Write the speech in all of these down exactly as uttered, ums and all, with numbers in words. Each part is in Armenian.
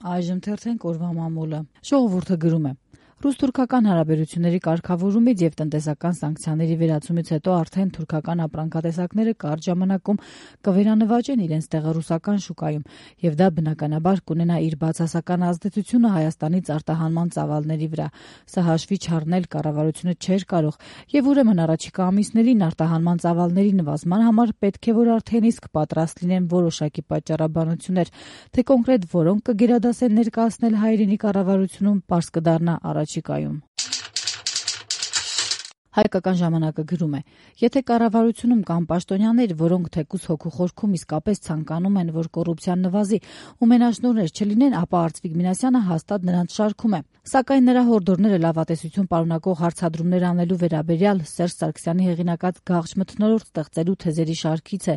Այժմ թերթենք օրվա մամուլը։ Ժողովուրդը գրում է. Ռուս-թուրքական հարաբերությունների կարգավորումից եւ տնտեսական սանկցիաների վերացումից հետո արդեն թուրքական ապրանքատեսակները կարճ ժամանակում կվերանվաճեն իրենց տեղը ռուսական շուկայում, եւ դա բնականաբար կունենա իր բացասական ազդեցությունը Հայաստանից արտահանման ծավալների վրա։ Սա հաշվի չառնել կառավարությունը չէր կարող, եւ ուրեմն առաջիկա ամիսներին արտահանման ծավալների նվազման համար պետք է որ արդեն իսկ պատրաստ լինեն որոշակի պատճառաբանություններ, թե կոնկրետ որոնք կգերադասեն ներկայացնել հայրենի կառավարությունում, պարզ կդառնա առաջիկայում։ Հայկական ժամանակը գրում է. եթե կառավարությունում կան պաշտոնյաներ, որոնք թեկուզ հոգու խորքում իսկապես ցանկանում են, որ կոռուպցիան նվազի ու մենաշնորհներ չլինեն, ապա Արծվիկ Մինասյանը հաստատ նրանց շարքում է։ Սակայն նրա հորդորները լավատեսություն պարունակող հարցադրումներ անելու վերաբերյալ Սերժ Սարգսյանի հեղինակած գաղճ մթնոլորտ ստեղծելու թեզերի շարքից է,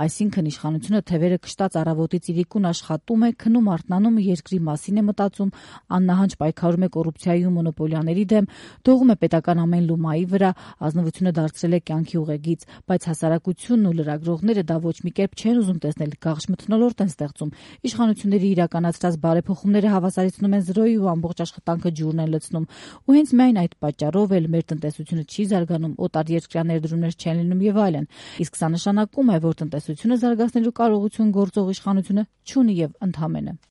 այսինքն իշխանությունը թևերը կշտած առավոտից իրիկուն աշխատում է, քնում արթնանում, երկրի մասին է մտածում, աննահանջ պայքարում է կոռուպցիայի ու մոնոպոլիաների դեմ, դողում է պետական ամեն լումայի վրա, ազնվությունը դարձրել է կյանքի ուղեգիծ, բայց հասարակությունն ու լրագրողները դա ոչ մի կերպ չեն ուզում տեսնել, գաղճ մթնոլորտ են ստեղծում, իշխանությունների իրականացրած բարեփոխումները հավասարեցնում են զրոյի ու ամբողջ աշխատանքը ջուրն են լցնում, ու հենց միայն այդ պատճառով էլ մեր տնտեսությունը չի զարգանում, օտարերկրյա ներդրումներ չեն լինում եւ այլն, իսկ սա նշանակում է, որ տնտեսությունը զարգացնելու կարողություն գործող իշխանությունը չունի եւ ընդհանրապես։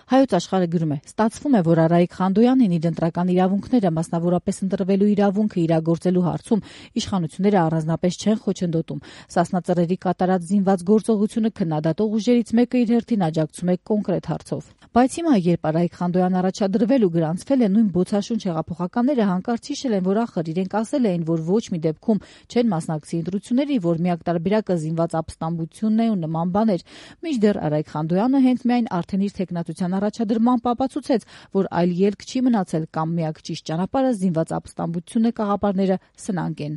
Հայոց աշխարհը գրում է. ստացվում է, որ Արայիկ Խանդոյանին իր ընտրական իրավունքները, մասնավորապես ընտրվելու իրավունքը իրագործելու հարցում իշխանությունները առանձնապես չեն խոչընդոտում։ Սասնա Ծռերի կատարած զինված գործողությունը քննադատող ուժերից մեկը իր հերթին աջակցում է կոնկրետ հարցով։ Բայց հիմա, երբ Արայիկ Խանդոյանն առաջադրվել ու գրանցվել է, նույն բոցաշունչ հեղափոխականները հանկարծ հիշել են, որ ախր իրենք ասել էին, որ ոչ մի դեպքում չեն մասնակցի ընտրությունների, որ միակ տարբերակը զինված ապստամբությունն է ու նման բաներ։ Մինչդեռ Արայիկ Խանդոյանը հենց միայն արդեն իր թեկնածության առաջադրմամբ ապացուցեց, որ այլ ելք չի մնացել կամ միակ ճիշտ ճանապարհը զինված ապստամբությունն է, կաղապարները սնանկ են։